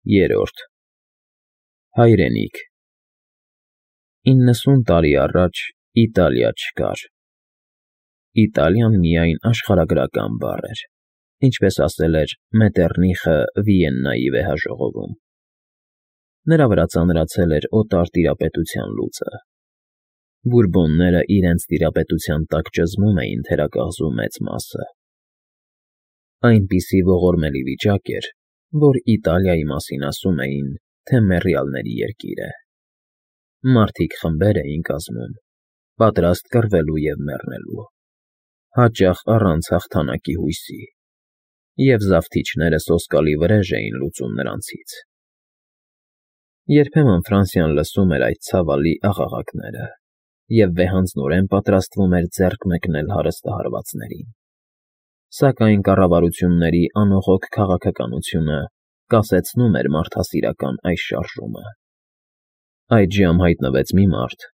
Երրորդ Հայրենիք 90 տարի առաջ Իտալիա չկար։ Իտալիան միայն աշխարհագրական բառ էր, ինչպես ասել էր Մետեռնիխը Վիեննայի վեհաժողովում։ Նրա վրա ծանրացել էր օտար տիրապետության լուծը։ Բուրբոնները իրենց տիրապետության տակ ճզմում էին թերակղզու մեծ մասը։ Այնպիսի ողորմելի վիճակ էր, որ Իտալիայի մասին ասում էին, թե մեռյալների երկիր է։ Մարդիկ խմբեր էին կազմում, պատրաստ կռվելու և մեռնելու, հաճախ առանց հաղթանակի հույսի, և զավթիչները սոսկալի վրեժ էին լուծում նրանցից։ Երբեմն Ֆրանսիան լսում էր այդ ցավալի աղաղակները և վեհանձնորեն պատրաստվում էր ձեռք մեկնել հարստահարվածներին։ Սակայն կառավարությունների անողոք քաղաքականությունը կասեցնում էր մարդասիրական այս շարժումը։ Այդժամ հայտնվեց մի մարդ,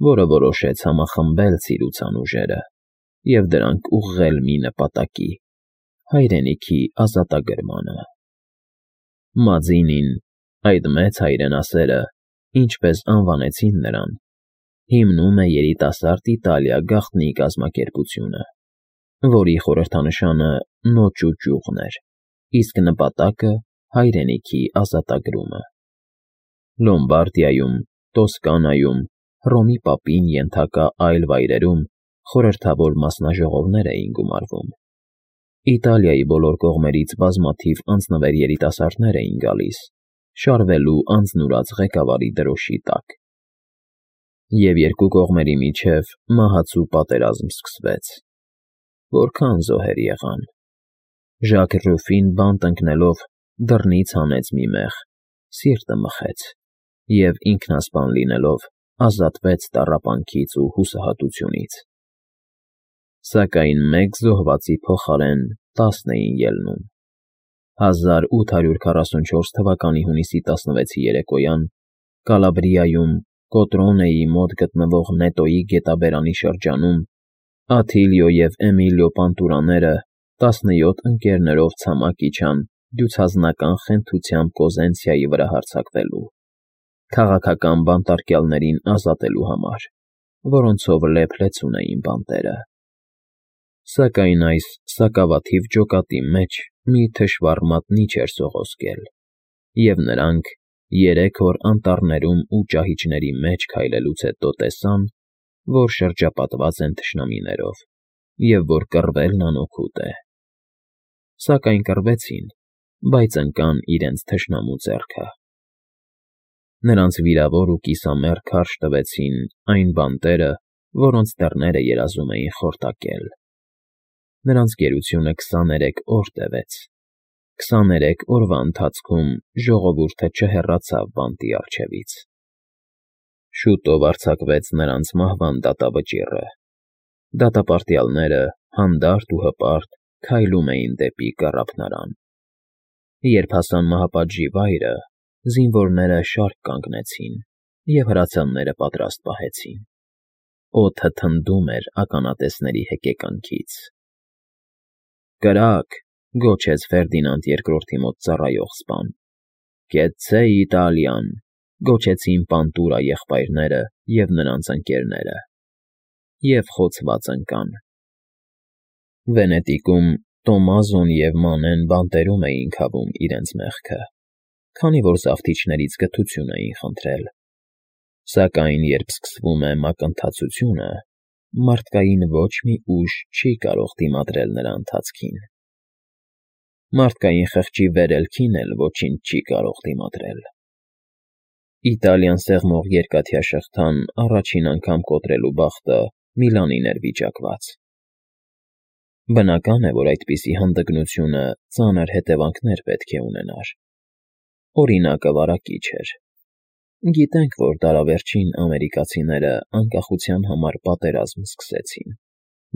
որը որոշեց համախմբել ցիրուցան ուժերը և դրանք ուղղել մի նպատակի՝ հայրենիքի ազատագրմանը։ Մաձինին, այդ մեծ հայրենասերը, ինչպես անվանեցին նրան, հիմնում է երիտասարդ Իտալիա գաղտնի կազմակերպությունը, որի խորհրդանշանը նոճու ճյուղն էր, իսկ նպատակը հայրենիքի ազատագրումը։ Լոմբարդիայում, Տոսկանայում, Հռոմի պապին ենթակա այլ վայրերում խորհրդավոր մասնաժողովներ էին գումարվում։ Իտալիայի բոլոր կողմերից բազմաթիվ անձնվեր երիտասարդներ էին գալիս, շարվելու անձնուրաց ղեկավարի դրոշի տակ։ Եվ երկու կողմերի միջև մահացու պատերազմ սկսվեց։ Որքան զոհեր եղան։ Ժակ Ռուֆին բանտ ընկնելով դռնից հանեց մի մեղ, սիրտը մխեց և ինքնասպան լինելով ազատվեց տառապանքից ու հուսահատությունից։ Սակայն մեկ զոհվածի փոխարեն 10 էին ելնում։ 1844 թվականի հունիսի 16-ի երեկոյան Կալաբրիայում Կոտրոնեի մոտ գտնվող Նետոյի գետաբերանի շրջանում Աթիլիո և Էմիլիո Պանտուրաները 17 ընկերներով ցամաք իջան դյուցազնական խենթությամբ Կոզենցիայի վրա հարձակվելու, քաղաքական բանտարկյալներին ազատելու համար, որոնցով լեփ-լեցուն էին բանտերը։ Սակայն այս սակավաթիվ ջոկատի մեջ մի թշվառ մատնիչ էր սողոսկել, և նրանք 3 օր անտառներում ու ճահիճների մեջ քայլելուց հետո տեսան, որ շրջապատված են թշնամիներով և որ կռվելն անօգուտ է։ Սակայն կռվեցին, բայց ընկան իրենց թշնամու ձեռքը։ Նրանց վիրավոր ու կիսամեռ քարշ տվեցին այն բանտերը, որոնց դռները երազում էին խորտակել։ Նրանց գերությունը 23 օր տևեց։ 23 օրվա ընթացքում ժողովուրդը չհեռացավ բանտի առջևից։ Շուտով արձակվեց նրանց մահվան դատավճիռը։ Դատապարտյալները հանդարտ ու հպարտ քայլում էին դեպի կառափնարան։ Երբ հասան մահապատժի վայրը, զինվորները շարք կանգնեցին և հրացանները պատրաստ պահեցին։ Օդը թնդում էր ականատեսների հեկեկանքից։ «Կրակ», գոչեց Ֆերդինանդ II-ի մոտ ծառայող սպան։ «Կեցցե Իտալիան», գոչեցին Պանտուրա եղբայրները և նրանց ընկերները։ Եվ խոցված ընկան։ Վենետիկում Տոմազոն և Մանեն բանտերում էին քավում իրենց մեղքը, քանի որ զավթիչներից գթություն էին խնդրել։ Սակայն երբ սկսվում է մակընթացությունը, մարդկային ոչ մի ուժ չի կարող դիմադրել նրա ընթացքին։ Մարդկային խղճի վերելքին էլ ոչինչ չի կարող դիմադրել։ Իտալիան սեղմող երկաթյա շղթան առաջին անգամ կոտրելու բախտը Միլանին էր վիճակված։ Բնական է, որ այդպիսի հանդգնությունը ծանր հետևանքներ պետք է ունենար։ Օրինակը վարակիչ էր։ Գիտենք, որ դարավերջին ամերիկացիները անկախության համար պատերազմ սկսեցին,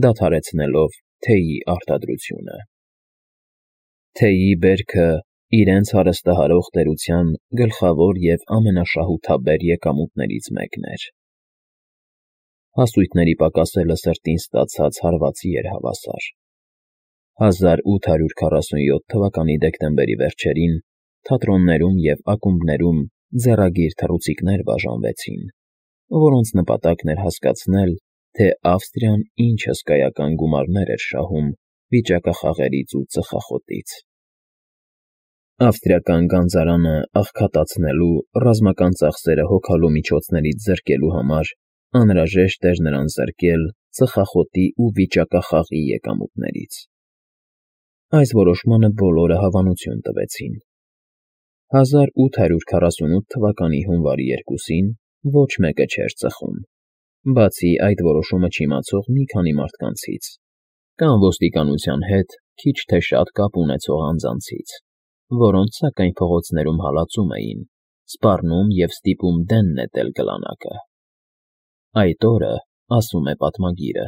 դադարեցնելով թեյի արտադրությունը։ Թեյի բերքը իրենց հարստահարող տերության գլխավոր և ամենաշահութաբեր եկամուտներից մեկն էր։ Հասույթների պակասելը սրտին ստացած հարվածի էր հավասար։ 1847 թվականի դեկտեմբերի վերջերին թատրոններում և ակումբներում ձեռագիր թռուցիկներ բաժանվեցին, որոնց նպատակն էր հասկացնել, թե Ավստրիան ինչ հսկայական գումարներ էր շահում վիճակախաղերից ու ծխախոտից։ Ավստրիական գանձարանը աղքատացնելու, ռազմական ծախսերը հոգալու միջոցներից զրկելու համար անհրաժեշտ էր նրան զրկել ծխախոտի ու վիճակախաղի եկամուտներից։ Այս որոշմանը բոլորը հավանություն տվեցին։ 1848 թվականի հունվարի 2-ին ոչ մեկը չէր ծխում, բացի այդ որոշումը չիմացող մի քանի մարդկանցից, կամ ոստիկանության հետ քիչ թե շատ կապ ունեցող անձանցից, որոնց սակայն փողոցներում հալածում էին, սպառնում և ստիպում դեն նետել գլանակը։ Այդ օրը, ասում է պատմագիրը,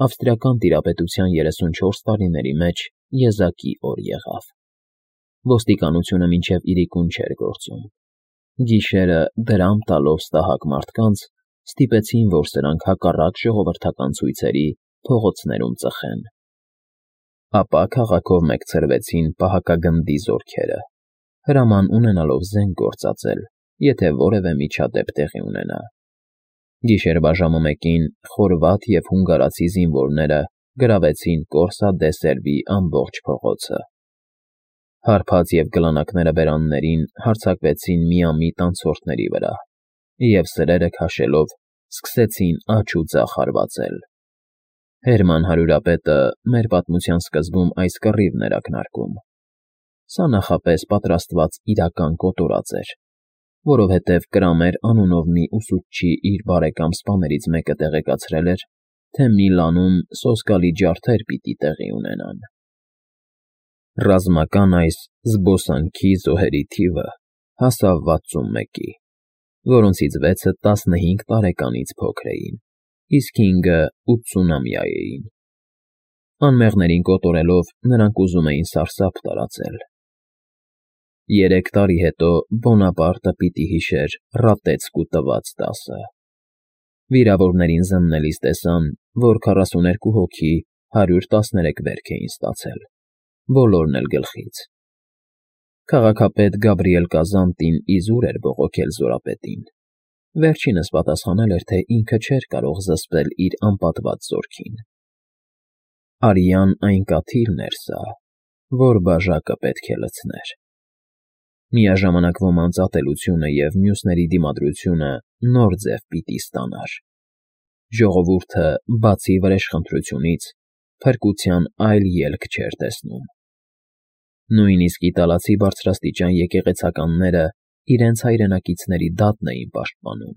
ավստրիական տիրապետության 34 տարիների մեջ եզակի օր եղավ։ Ոստիկանությունը մինչև իրիկուն չէր գործում։ Գիշերը դրամ տալով ստահակ մարդկանց ստիպեցին, որ սրանք հակառակ ժողովրդական ցույցերի փողոցներում ծխեն։ Ապա քաղաքով մեկցրվեցին պահակագնդի զորքերը, հրաման ունենալով զենք գործածել, եթե որևէ միջադեպ տեղի ունենա։ Գիշերվա ժամը 1-ին խորվաթ և հունգարացի զինվորները գրավեցին Կորսա դե Սերվի ամբողջ փողոցը։ Հարբած և գլանակները բերաններին հարձակվեցին միամիտ անցորդների վրա, և սրերը քաշելով սկսեցին աջ ու ձախ հարվածել։ Հերման հարյուրապետը մեր պատմության սկզբում այս կռիվն էր ակնարկում։ Սա նախապես պատրաստված իրական կոտորած էր, որովհետև Կրամեր անունով մի ուսուցչի իր բարեկամ սպաներից մեկը տեղեկացրել էր, թե Միլանում սոսկալի ջարդեր պիտի տեղի ունենան։ Ռազմական այս զբոսանքի զոհերի թիվը հասավ 61-ի, որոնցից 6-ը 15 տարեկանից փոքր էին, իսկ 5-ը 80-ամյա էին։ Անմեղներին կոտորելով նրանք ուզում էին սարսափ տարածել։ 3 տարի հետո Բոնապարտը պիտի հիշեր Ռատեցկու տված դասը։ Վիրավորներին զննելիս տեսան, որ 42 հոգի 113 վերք էին ստացել, բոլորն էլ գլխից։ Քաղաքապետ Գաբրիել Կազանտին իզուր էր բողոքել զորապետին։ Վերջինս պատասխանել էր, թե ինքը չէր կարող զսպել իր անպատված զորքին։ Արյան այն կաթիլն էր սա, որ բաժակը պետք է լցներ։ Միաժամանակ ոմանց ատելությունը և մյուսների դիմադրությունը նոր ձև պիտի ստանար։ Ժողովուրդը, բացի վրեժխնդրությունից, փրկության այլ ելք չէր տեսնում։ Նույնիսկ իտալացի բարձրաստիճան եկեղեցականները իրենց հայրենակիցների դատն էին պաշտպանում,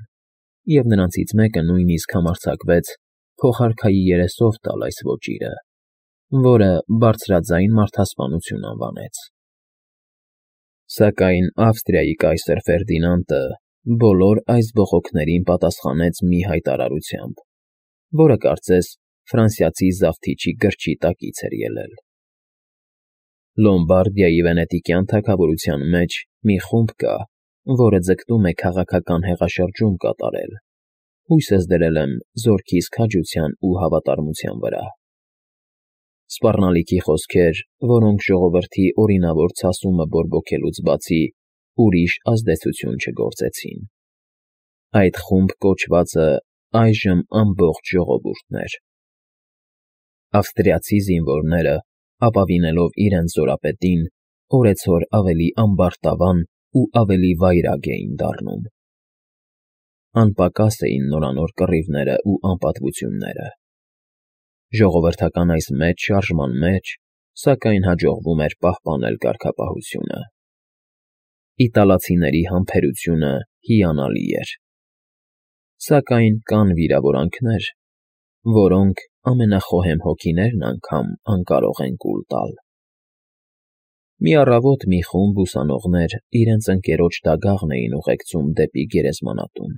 և նրանցից մեկը նույնիսկ համարձակվեց փոխարքայի երեսով տալ այս ոճիրը, որը բարձրաձայն մարդասպանություն անվանեց։ Սակայն Ավստրիայի կայսր Ֆերդինանդը բոլոր այս բողոքներին պատասխանեց մի հայտարարությամբ, որը կարծես ֆրանսիացի զավթիչի գրչի տակից էր ելել։ Լոմբարդիայի վենետիկյան թագավորության մեջ մի խումբ կա, որը ձգտում է քաղաքական հեղաշրջում կատարել, հույսս դրել եմ զորքիս քաջության ու հավատարմության վրա։ Սպառնալիքի խոսքեր, որոնք ժողովրդի օրինավոր ցասումը բորբոքելուց բացի ուրիշ ազդեցություն չգործեցին։ Այդ խումբ կոչվածը այժմ ամբողջ ժողովուրդն էր։ Ավստրիացի զինվորները, ապավինելով իրենց զորապետին, օրեցօր ավելի ամբարտավան ու ավելի վայրագ էին դառնում։ Անպակաս էին նորանոր կռիվները ու անպատվությունները։ Ժողովրդական այս մեծ շարժման մեջ, սակայն, հաջողվում էր պահպանել կարգապահությունը։ Իտալացիների համբերությունը հիանալի էր։ Սակայն կան վիրավորանքներ, որոնք ամենախոհեմ հոգիներն անգամ անկարող են կուլ տալ։ Մի առավոտ մի խումբ ուսանողներ իրենց ընկերոջ դագաղն էին ուղեկցում դեպի գերեզմանատուն։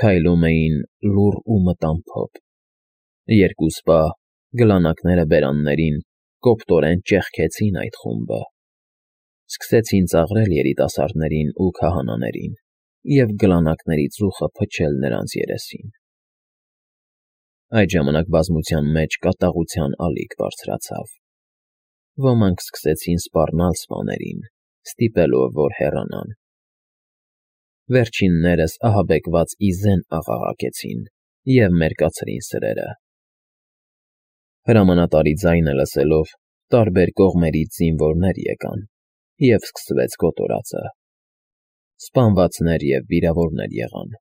Քայլում էին լուռ ու մտամփոփ։ Երկու սպա, գլանակները բերաններին, կոպտորեն ճեղքեցին այդ խումբը։ Սկսեցին ծաղրել երիտասարդներին ու քահանաներին և գլանակների ծուխը փչել նրանց երեսին։ Այդ ժամանակ բազմության մեջ կատաղության ալիք բարձրացավ։ Ոմանք սկսեցին սպառնալ սպաներին, ստիպելով, որ հեռանան։ Վերջիններս ահաբեկված ի զեն աղաղակեցին և մերկացրին սրերը։ Հրամանատարի ձայնը լսելով, տարբեր կողմերից զինվորներ եկան, և սկսվեց կոտորածը։ Սպանվածներ և վիրավորներ եղան։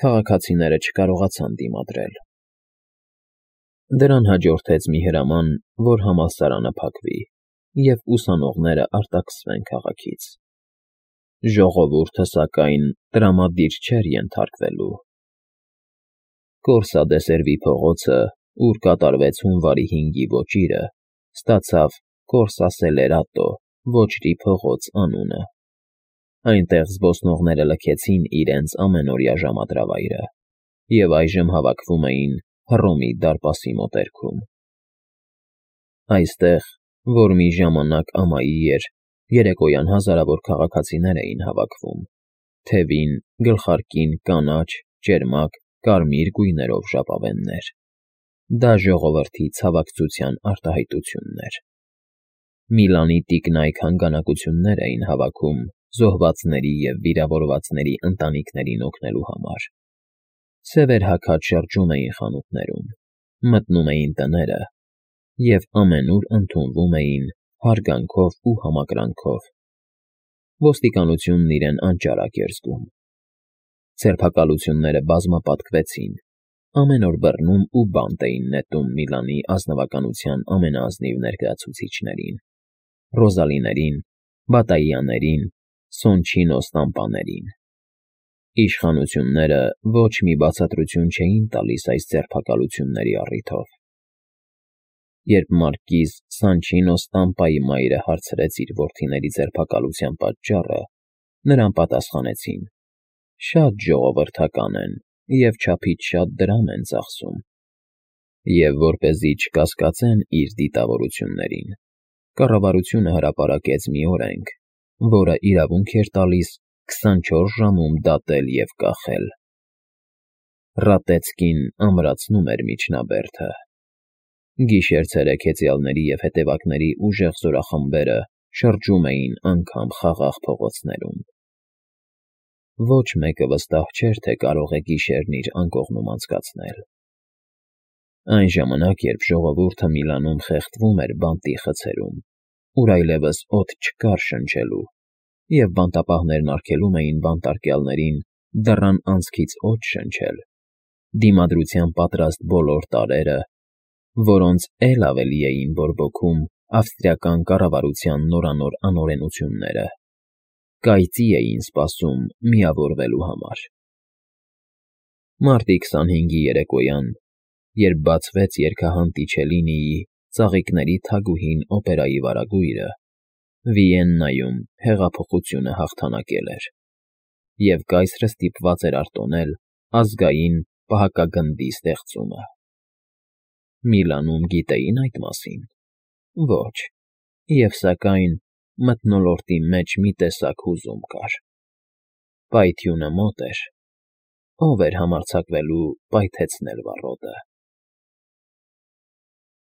Քաղաքացիները չկարողացան դիմադրել։ Դրան հաջորդեց մի հրաման, որ համալսարանը փակվի, և ուսանողները արտաքսվեն քաղաքից։ Ժողովուրդը, սակայն, տրամադիր չէր ենթարկվելու։ Կորսադեսերվի փողոցը, ուր կատարվեց հունվարի 5-ի ոճիրը, ստացավ Կորսասելերատո ոչրի փողոց անունը։ Այնտեղ զբոսնողները լքեցին իրենց ամենօրյա ժամադրավայրը և այժմ հավաքվում էին Հռոմի դարպասի մոտերքում։ Այստեղ, որ մի ժամանակ ամայի էր, երեկոյան հազարավոր քաղաքացիներ էին հավաքվում, թևին, գլխարկին կանաչ, ճերմակ, կարմիր գույներով ժապավեններ։ Դա ժողովրդի ցավակցության արտահայտությունն էր։ Միլանի տիկնայք հանգանակություններ էին հավաքում զոհվածների և վիրավորվածների ընտանիքներին օգնելու համար։ Սևեր հագած շրջում էին խանութներում, մտնում էին տները և ամենուր ընդունվում էին հարգանքով ու համակրանքով։ Ոստիկանությունն իրեն անճարակ էր զգում։ Ձերբակալությունները բազմապատկվեցին, ամեն օր բռնում ու բանտ էին նետում Միլանի ազնվականության ամենաազնիվ ներկայացուցիչներին՝ Ռոզալիներին, Բատաիաներին, Սոնչինո Ստամպաներին։ Իշխանությունները ոչ մի բացատրություն չէին տալիս այս ձերբակալությունների առիթով։ Երբ մարկիզ Սանչինո Ստամպայի մայրը հարցրեց իր որդիների ձերբակալության պատճառը, նրան պատասխանեցին. «Շատ ժողովրդական են և չափից շատ դրամ են ծախսում»։ Եվ որպեսզի չկասկածեն իր դիտավորություններին, կառավարությունը հրապարակեց մի օրենք, որը իրավունք էր տալիս 24 ժամում դատել և կախել։ Ռատեցկին ամրացնում էր միջնաբերդը։ Գիշեր-ցերեկ հեծյալների և հետևակների ուժեղ զորախմբերը շրջում էին անգամ խաղաղ փողոցներում։ Ոչ մեկը վստահ չէր, թե կարող է գիշերն իր անկողնում անցկացնել։ Այն ժամանակ, երբ ժողովուրդը Միլանում խեղդվում էր բանտի խցերում, ուր այլևս օդ չկար շնչելու, և բանտապահներն արգելում էին բանտարկյալներին դռան անցքից օդ շնչել, դիմադրության պատրաստ բոլոր տարրերը, որոնց էլ ավելի էին բորբոքում ավստրիական կառավարության նորանոր անօրենությունները, կայծի էին սպասում միավորվելու համար։ Մարտի 25-ի երեկոյան, երբ բացվեց երգահան Տիչելինիի «Ծաղիկների թագուհին» օպերայի վարագույրը, Վիեննայում հեղափոխությունը հաղթանակել էր, և կայսրը ստիպված էր արտոնել ազգային պահակագնդի ստեղծումը։ Միլանում գիտեի՞ն այդ մասին։ Ոչ, և սակայն մթնոլորտի մեջ մի տեսակ հուզում կար։ Պայթյունը մոտ էր։ Ո՞վ էր համարձակվելու պայթեցնել վառոդը։